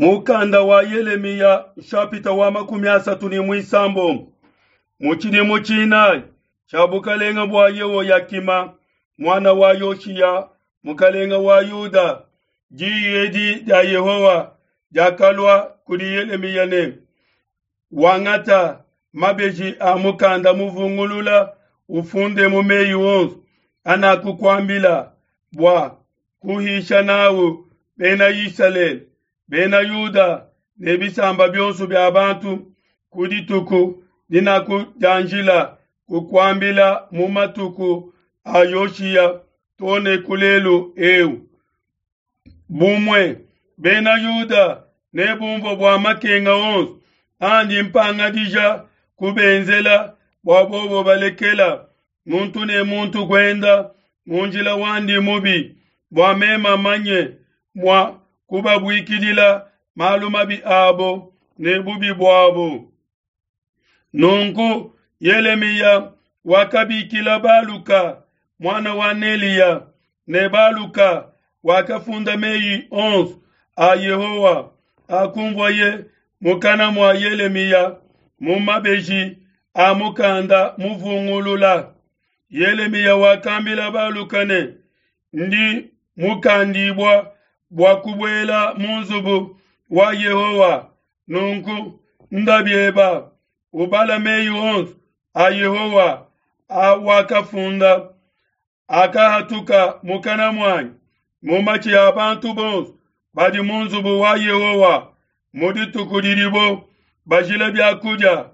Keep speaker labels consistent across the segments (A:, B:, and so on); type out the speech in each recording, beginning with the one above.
A: Mukanda wa Yelemiya nshapita wa 36. Mu tshidimu tshinayi tshia bukalenga bua Yehoyakima muana wa Yoshiya mukalenga wa Yuda, diyi edi dia Yehowa diakalua kudi Yelemiya ne: Wangata mabeji a mukanda muvungulula, ufundemu meyi onso anakukuambila bua kuhisha nawu bena Isalele, bena Yuda ne bisamba bionso bia bantu ku dituku dinakudianjila kukuambila mu matuku a Yoshiya too ne ku lelu eu. Bumue bena Yuda nebumvue bua makenga onso andi mpangadija kubenzela bua bobo balekela muntu ne muntu kuenda mu njila wandi mubi, bua meme manye mua kubabuikidila malu mabi abo ne bubi buabo. Nunku Yelemiya wakabikila Baluka muana wa Neliya, ne Baluka wakafunda meyi onso a Yehowa akumvuaye mukana mua Yelemiya mu mabeji a mukanda muvungulula. Yelemiya wakambila Baluka ne, Ndi mukandibua bua kubuela mu nzubu wa Yehowa. Nunku nda bieba, ubala meyi onso a Yehowa awakafunda, akahatuka mukana muanyi mu matshi a bantu bonso badi mu nzubu wa Yehowa mu dituku didibo bajila bia kudia,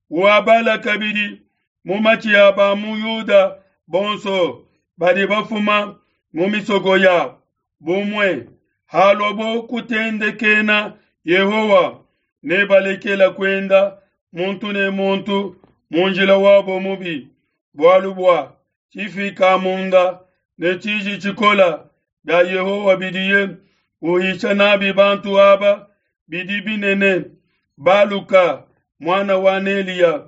A: uabala kabidi mu matshi a ba mu Yuda bonso badi bafuma mu misoko yabo. Bumue haluabo kutendekena Yehowa, nebalekela kuenda muntu ne muntu mu njila wabo mubi, bualu bua tshifikamunda ne tshiji tshikola bia Yehowa bidiye uhisha nabi bantu aba bidi binene. Baluka, muana wa Neliya,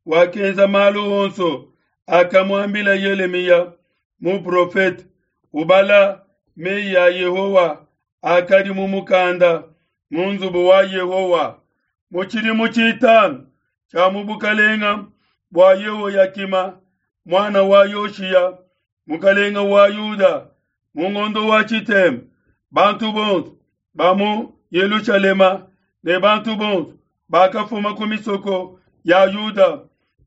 A: wakenza malu onso akamuambila Yelemiya muprofete, ubala meyi a Yehowa akadi mu mukanda mu nzubu wa Yehowa. Mu tshidimu tshitanu tshia mu bukalenga bua Yehoyakima muana wa Yoshiya mukalenga wa Yuda, mu ngondo wa tshitema, bantu bonso ba mu Yelushalema ne bantu bonso bakafuma ku misoko ya Yuda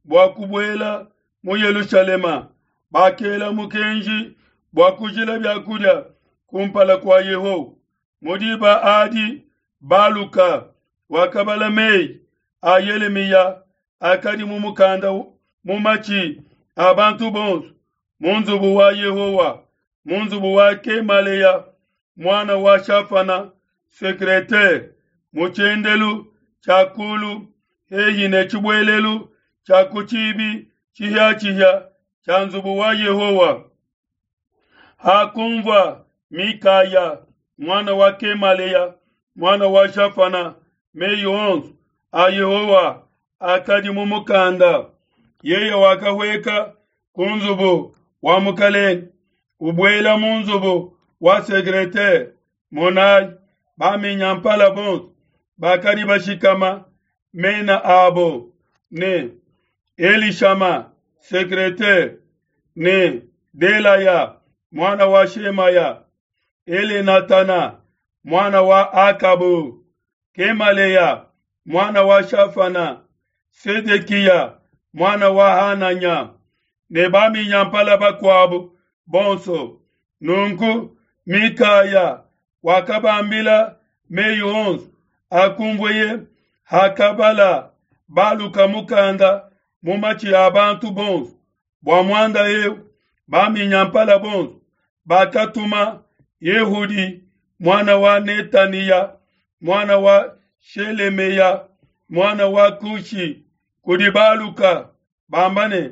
A: bua kubuela mu Yelushalema bakela mukenji bua kujila biakudia kumpala kua Yehowa. Mu diba adi Baluka wakabala meyi a Yelemiya akadi mu mukanda mu matshi a bantu bonso mu nzubu wa Yehowa, mu nzubu wa Kemaleya muana wa Shafana sekretere, mu tshiendelu tshia kulu hehi ne tshibuelelu tshia ku tshibi tshihiatshihia tshia nzubu wa Yehowa. Hakunvua Mikaya muana wa Kemaleya muana wa Shafana meyi onso a Yehowa akadi mu mukanda, yeye wakahueka ku nzubu wa mukelenge, ubuela mu nzubu wa sekretere. Monai, baminyampala bonso bakadi bashikama mena abo ne Elishama sekretere ne Delaya muana wa Shemaya, Elenatana muana wa Akabu, Kemaleya muana wa Shafana, Sedekiya muana wa Hananya ne baminyampala bakuabu bonso. Nunku Mikaya wakabambila meyi onso akumvueye hakabala Baluka mukanda mu matshi a bantu bonso. Bua muanda eu baminyampala bonso bakatuma Yehudi muana wa Netaniya muana wa Shelemeya muana wa Kushi kudi Baluka bamba ne,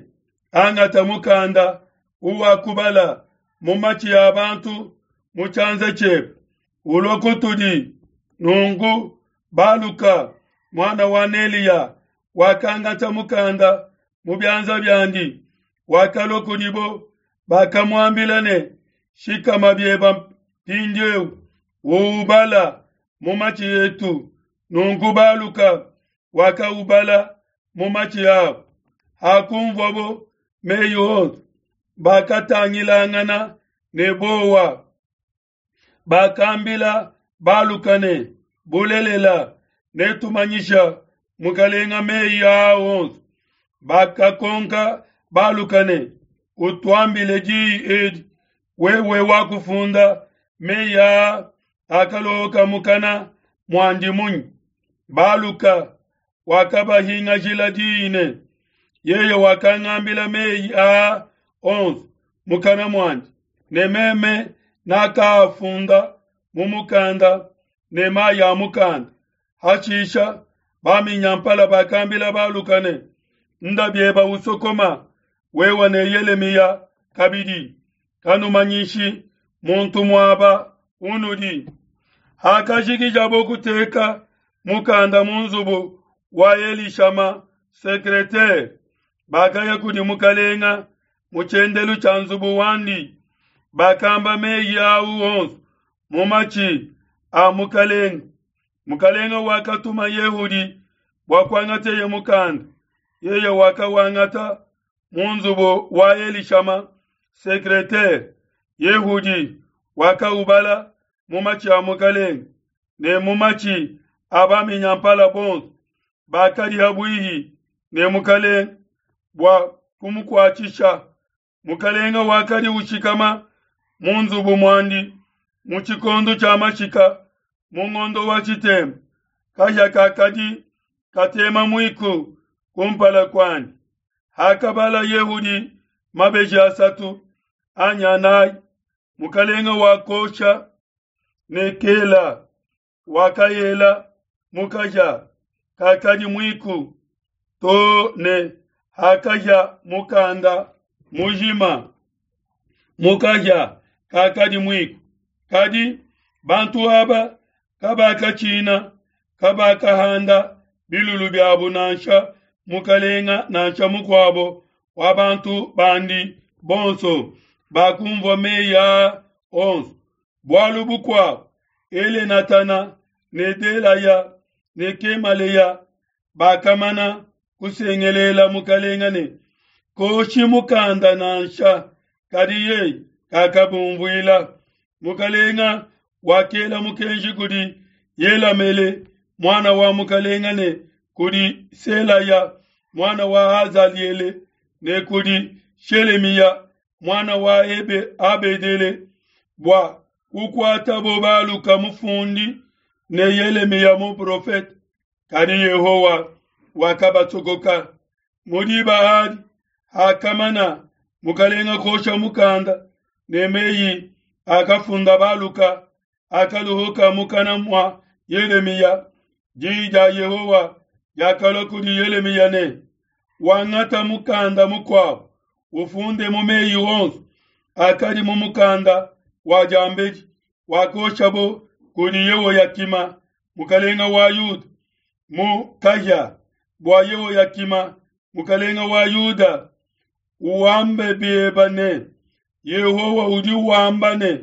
A: Angata mukanda uwakubala mu matshi a bantu mu tshianza tshiebe, ulue kutudi. Nunku Baluka muana wa Neliya wakangata mukanda mu bianza biandi, wakalua kudibo. Bakamuambila ne, Shikama bieba mpindieu, uubala. mu matshi etu. Nunku Baluka wakaubala mu matshi abo. Hakunvuabo mei onso, bakatangilangana ne buowa. Bakambila Baluka ne, Bulelela, netumanyisha mukalenga mei aa onso. Bakakonka Baluka ne, Utuambile diyi edi, wewe wakufunda mei aa akaloka mukana muandi munyi? Baluka wakabahingajila diyi ne, Yeye wakangambila mei aa onso mukana muandi, ne meme nakaafunda mu mukanda ne mayi a mukanda. Hashisha baminyampala bakambila Baluka ne, Nda bieba usokoma, wewe ne Yelemiya kabidi, kanumanyishi muntu muaba unudi. Hakajikijabo kuteka mukanda mu nzubu wa Elishama secretaire, bakaya kudi mukalenga mu tshiendelu tshia nzubu wandi, bakamba meyi au onso mu matshi a mukalenga. Mukalenga wakatuma Yehudi bua kuangateye mukanda. Yeye wakawangata mu nzubu wa Elishama secretaire. Yehudi wakaubala mu matshi a mukalenga ne mu matshi a baminyampala bonso bakadi habuihi ne mukalenga bua kumukuatshisha. Mukalenga wakadi ushikama mu nzubu muandi mu tshikondo tshia mashika mu ngondo wa tshitema. Kahia kakadi katema muiku kumpala kuandi. Hakabala Yehudi mabeji asatu anyi anayi, mukalenga wakosha ne kela wakayela mu kahia kakadi muiku to ne hakahia mukanda mujima mu kahia kakadi muiku. Kadi bantu aba kabakatshina, kabakahanda bilulu biabo nansha mukalenga nansha mukuabo wa bantu bandi bonso bakumvua meyi aa onso. Bualu bukuabo, Elenatana ne Delaya ne Kemaleya bakamana kusengelela mukalenga ne, Koshi mukanda nansha, kadi yeye kakabumvuila. Mukalenga wakela mukenji kudi Yelamele muana wa mukalenga ne kudi Selaya muana wa Azaliele ne kudi Shelemiya muana wa Ebe Abedele bua kukuatabo Baluka mufundi ne Yelemiya muprofete. Kadi Yehowa wakabasokoka. Mu diba adi hakamana mukalenga kosha mukanda ne meyi akafunda Baluka akaluhuka mukana mua Yelemiya, diyi dia Yehowa diakalua kudi Yelemiya ne, Wangata mukanda mukuabo, ufunde mu meyi onso akadi mu mukanda wa diambedi wakoshabo kudi Yehoyakima mukalenga wa Yuda mu kahia, bua Yehoyakima mukalenga wa Yuda uambe bieba ne, Yehowa udi wamba ne,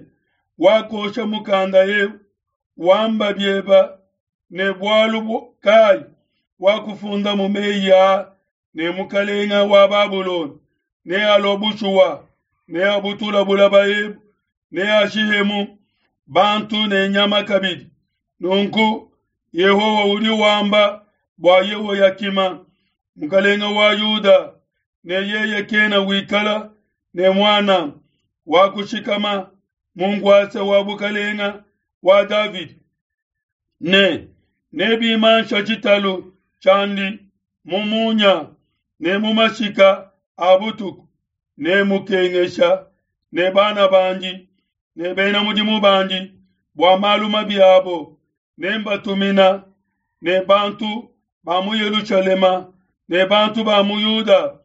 A: wakosha mukanda eu, wamba bieba ne bualu kayi wakufunda mu meyi aa ne mukalenga wa Babulona nealua bushuwa, neabutula bulaba ebu, neashihemu bantu ne nyama kabidi. Nunku Yehowa udi wamba bua Yehoyakima mukalenga wa Yuda ne yeye kena wikala ne muana wa kushikama mu nkuasa wa bukalenga wa Davidi, ne nebimansha tshitalu tshiandi mu munya ne mu mashika a butuku, nemukengesha ne bana bandi ne bena mudimu bandi bua malu mabi abo, nembatumina ne bantu ba mu Yelushalema ne bantu ba mu Yuda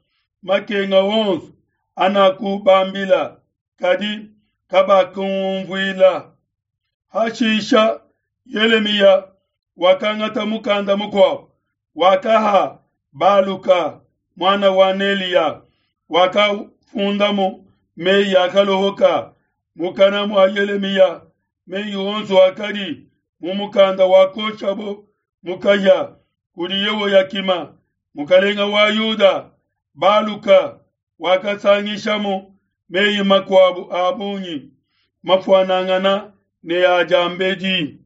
A: makenga onso anakubambila, kadi kabakunvuila. Hashisha Yelemiya wakangata mukanda mukuabo, wakaha Baluka muana wa Neliya, wakafundamu meyi akalohoka mukana mua Yelemiya, meyi onso akadi mu mukanda wakoshabo mu kahia kudi Yehoyakima, mukelenge wa Yuda, Baluka wakasangishamu mei makuabo a bungi mafuanangana ne a diambedi.